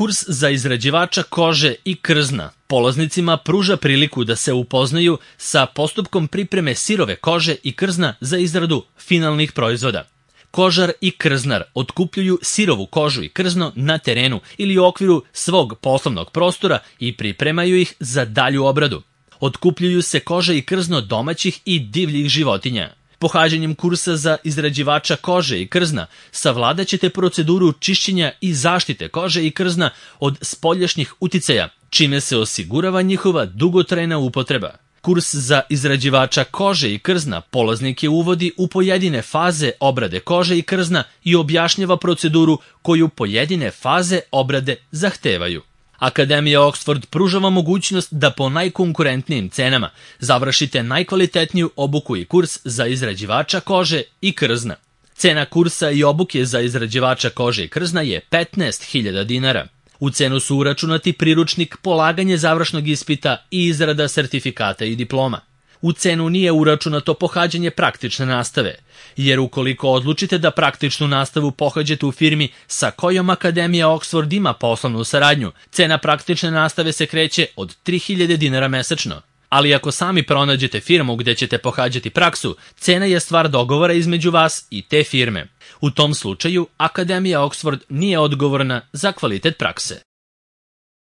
Kurs za izrađivača kože i krzna polaznicima pruža priliku da se upoznaju sa postupkom pripreme sirove kože i krzna za izradu finalnih proizvoda. Kožar i krznar otkupljuju sirovu kožu i krzno na terenu ili u okviru svog poslovnog prostora i pripremaju ih za dalju obradu. Otkupljuju se koža i krzno domaćih i divljih životinja. Pohađanjem kursa za izrađivača kože i krzna savladat ćete proceduru čišćenja i zaštite kože i krzna od spoljašnjih uticaja, čime se osigurava njihova dugotrajna upotreba. Kurs za izrađivača kože i krzna polaznike uvodi u pojedine faze obrade kože i krzna i objašnjava proceduru koju pojedine faze obrade zahtevaju. Akademija Oxford pruža vam mogućnost da po najkonkurentnijim cenama završite najkvalitetniju obuku i kurs za izrađivača kože i krzna. Cena kursa i obuke za izrađivača kože i krzna je 15.000 dinara. U cenu su uračunati priručnik, polaganje završnog ispita i izrada sertifikata i diploma. U cenu nije uračunato pohađanje praktične nastave, jer ukoliko odlučite da praktičnu nastavu pohađate u firmi sa kojom Akademija Oxford ima poslovnu saradnju, cena praktične nastave se kreće od 3.000 dinara mesečno. Ali ako sami pronađete firmu gde ćete pohađati praksu, cena je stvar dogovora između vas i te firme. U tom slučaju, Akademija Oxford nije odgovorna za kvalitet prakse.